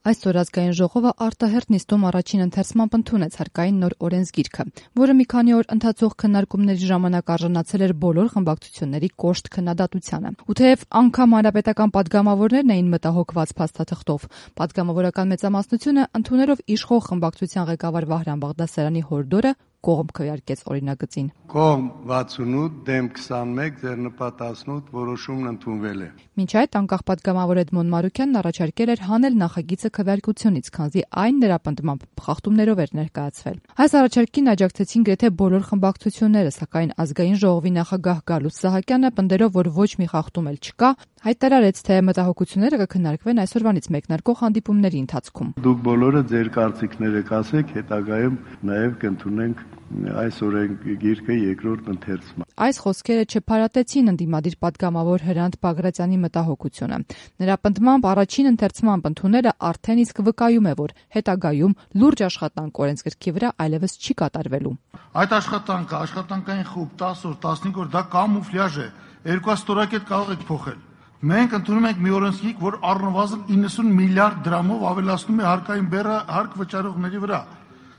Այսօր ազգային ժողովը արտահերթ նիստում առաջին ընթերցմամբ ընդունեց հարկային նոր օրենսգիրքը, որը մի քանի օր ընթացող քննարկումների ժամանակ արժանացել էր բոլոր խմբակցությունների կոշտ քննադատությանը։ Ու թեև անգամ հանրապետական падգամավորներն էին մտահոգված փաստաթղթով, падգամավորական մեծամասնությունը ընդունելով իշխող խմբակցության ղեկավար Վահրամ Բաղդասարյանի հորդորը կողմ քվեարկեց օրինագծին։ Կողմ 68, դեմ 21, ձեռնպատ 18 որոշումն ընդունվել է։ Մինչ այդ անկախ падգամավոր Էդմոն Մարուքյանն առաջարկել էր հանել նախագիծը քվեարկությունից, քանզի այն նրա պնդմամբ խախտումներով էր ներկայացվել։ Այս առաջարկին աջակցեցին գրեթե բոլոր խմբակցությունները, սակայն ազգային ժողովի նախագահ Գալուստ Սահակյանը պնդելով, որ ոչ մի խախտում էլ չկա, հայտարարեց, թե մտահոգությունները կքննարկվեն այսօրվանից մեկնարկող հանդիպումների ընթացքում։ Դուք բոլորը ձեր կարծիքները կասեք, հետագայում նաև կընդունենք այս օրենսգիրքը երկրորդ ընթերցման։ Այս խոսքերը չփարատեցին ընդդիմադիր падգամավոր Հրանտ Բագրատյանի մտահոգությունը։ Նրա պնդմամբ առաջին ընթերցման ընդունելը արդեն իսկ վկայում է, որ հետագայում լուրջ աշխատանք օրենսգրքի վրա այլևս չի կատարվելու։ Այդ աշխատանքը, աշխատանքային խումբ 10 օր, 15 օր, դա կամուֆլյաժ է։ 2 ստորակետ կարող եք փոխել։ Մենք ընդունում ենք մի օրենսգիրք, որ առնվազն 90 միլիարդ դրամով ավելացնում է հարկային բեռը հարկ վճարողների վրա։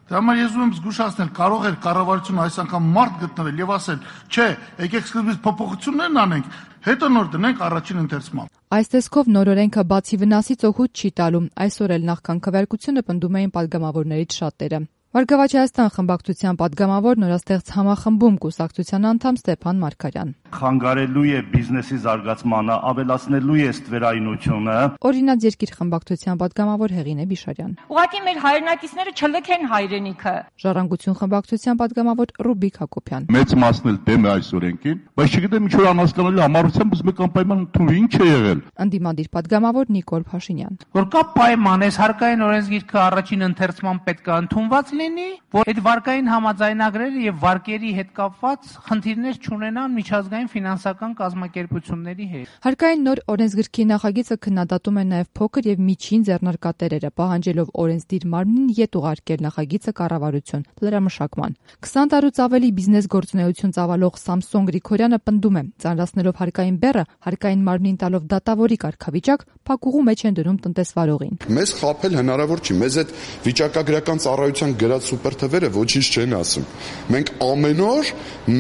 Դրա համար ես ուզում եմ զգուշացնել, կարող էր կառավարությունը այս անգամ մարդ գտնել եւ ասել, չէ, եկեք սկզբից փոփոխություններն անենք, հետո նոր դնենք առաջին ընթերցման։ Այս տեսքով նոր օրենքը բացի վնասից օգուտ չի տալու։ Այսօր էլ նախքան քվեարկությունը պնդում էին падգամավորներից շատերը։ Վարգավաճ Հայաստան խմբակցության падգամավոր նորաստեղծ համախմբում կուսակցության անդամ Ստեփան Մարգարյան։ Խանգարելու է բիզնեսի զարգացմանը, ավելացնելու է ստվերայնությունը։ Օրինաց երկիր խմբակցության падգամավոր Հեղինե Բիշարյան։ Ուղղակի մեր հայրենակիցները չլքեն հայրենիքը։ Ժառանգություն խմբակցության падգամավոր Ռուբիկ Հակոբյան։ Մեծ մասն էլ դեմ է այս օրենքին, բայց չգիտեմ ինչ որ անհասկանալի համառությամբ ուզում եք անպայման ընդունել, ինչ է եղել։ Ընդդիմադիր падգամավոր Նիկոլ Փաշինյան։ Որ կա պայման, այս հարկային օրենսգիրքը առաջին ընթերցման պետք է ընդունված լինի, որ այդ վարկային համաձայնագրերը եւ վարկերի հետ կապված խնդիրներ չունենան միջազգային ֆինանսական կազմակերպությունների հետ։ Հարկային նոր օրենսգրքի նախագիծը քննադատում է նաեւ փոքր եւ միջին ձեռնարկատերերը, պահանջելով օրենսդիր մարմնին յետ ուղարկել նախագիծը կառավարություն լրամշակման։ 20 տարուց ավելի բիզնես գործունեություն ծավալող Սամսոն Գրիգորյանը պնդում է, ծանրացնելով հարկային բեռը, հարկային մարմնին տալով դատավորի կարգավիճակ, փակուղու մեջ են դնում տնտեսվարողին։ Մեզ խաբել հնարավոր չի, մեզ այդ վիճակագրական ծառայության գրած սուպերթվերը ոչինչ չեն ասում։ Մենք ամեն օր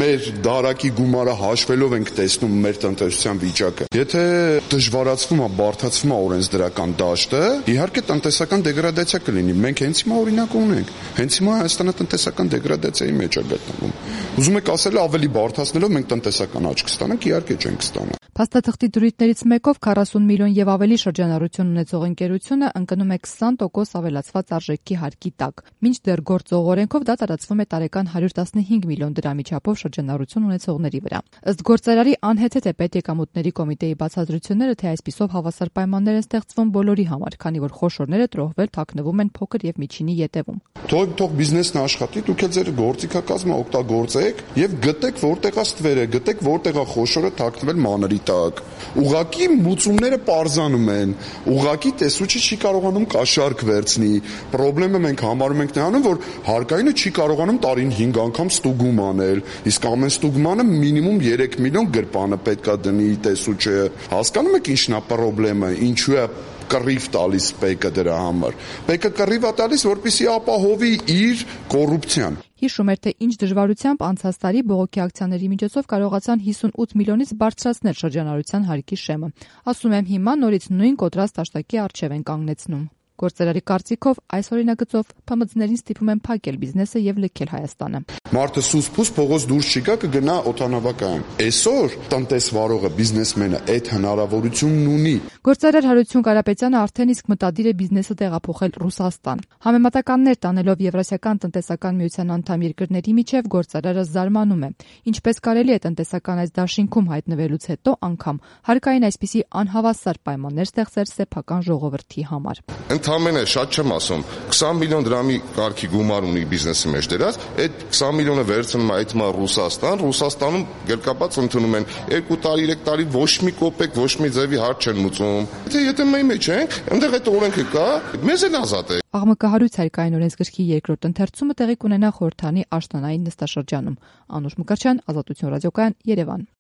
մեր դարակի գումարը հաշվելով ենք տեսնում մեր տնտեսության վիճակը։ Եթե դժվարացվում է, բարդացվում է օրենսդրական դաշտը, իհարկե տնտեսական դեգրադացիա կլինի։ Մենք հենց հիմա օրինակ ունենք։ Հենց հիմա Հայաստանը տնտեսական դեգրադացիայի մեջ է գտնվում։ Ուզում եք ասել ավելի բարդացնելով մենք տնտեսական աճ կստանանք, իհարկե չենք ստանա։ Փաստաթղթի դրույթներից մեկով 40 միլիոն եւ ավելի շրջանառություն ունեցող ընկերությունը ընկնում է 20% ավելացված արժեքի հարկի տակ։ Մինչդեռ գործող օրենքով դա տարածվում է տարեկան 115 միլիոն դրամի չափով շրջանառություն ունեցողների վրա։ Ըստ գործարարի անհեթեթ է պետեկամուտների կոմիտեի բացատրությունները, թե այսպիսով հավասար պայմաններ են ստեղծվում բոլորի համար, քանի որ խոշորները տրոհվել թաքնվում են փոքր եւ միջինի ետևում։ Թող բիզնեսն աշխատի, դուք էլ ձեր գործիքակազմը օգտագործեք եւ գտեք որտեղ է ստվերը, գտեք որտեղ է խոշորը թաքնվել մանրի տակ։ Ուղղակի մուծումները պարզանում են, ուղղակի տեսուչը չի կարողանում կաշառք վերցնի։ Պրոբլեմը մենք համարում ենք նրանում, որ հարկայինը չի կարողանում տարին 5 անգամ ստուգում անել, իսկ ամեն ստուգմանը մինիմում 3 միլիոն գրպանը պետքա դնի տեսուչը։ Հասկանում եք ինչն է պրոբլեմը, ինչու է կռիվ տալիս ՊԵԿ-ը դրա համար։ ՊԵԿ-ը կռիվ է տալիս, որպեսզի ապահովի իր կոռուպցիան։ Հիշում էր, թե ինչ դժվարությամբ անցած տարի բողոքի ակցիաների միջոցով կարողացան 58 միլիոնից բարձրացնել շրջանառության հարկի շեմը։ Ասում եմ, հիմա նորից նույն կոտրած տաշտակի առջև են կանգնեցնում։ Գործարարի կարծիքով այս օրինագծով ՓՄԶ-ներին ստիպում են փակել բիզնեսը եւ լքել Հայաստանը։ Մարդը սուս-փուս փողոց դուրս չգա, կգնա օդանավակայան։ Այսօր տնտեսվարողը, բիզնեսմենը այդ հնարավորությունն ունի։ Գործարար Հարություն Կարապետյանը արդեն իսկ մտադիր է բիզնեսը տեղափոխել Ռուսաստան։ Համեմատականներ տանելով Եվրասիական տնտեսական միության անդամ երկրների միջև գործարարը զարմանում է, ինչպես կարելի է տնտեսական այս դաշինքում հայտնվելուց հետո անգամ հարկային այսպիսի անհավասար պայմաններ ստեղծել սեփական ժողովրդի համար։ Ընդամենը շատ չեմ ասում, 20 միլիոն դրամի կարգի գումար ունի բիզնեսի մեջ դրած, այդ 20 միլիոնը վերցնում է այդ Ռուսաստան, Ռուսաստանում գերկապած ընդունում են 2 տարի, 3 տարի ոչ մի կոպեկ, ոչ մի ձևի հարց չեն մուծում։ Եթե մենք մեջ ենք, այնտեղ այդ օրենքը կա, մեզ էլ ազատ է։ Աղմկահարույց հարկային օրենսգրքի երկրորդ ընթերցումը տեղի կունենա խորհրդանի աշնանային նստաշրջանում։ Անուշ Մկրտչյան, Ազատություն ռադիոկայան, Երևան։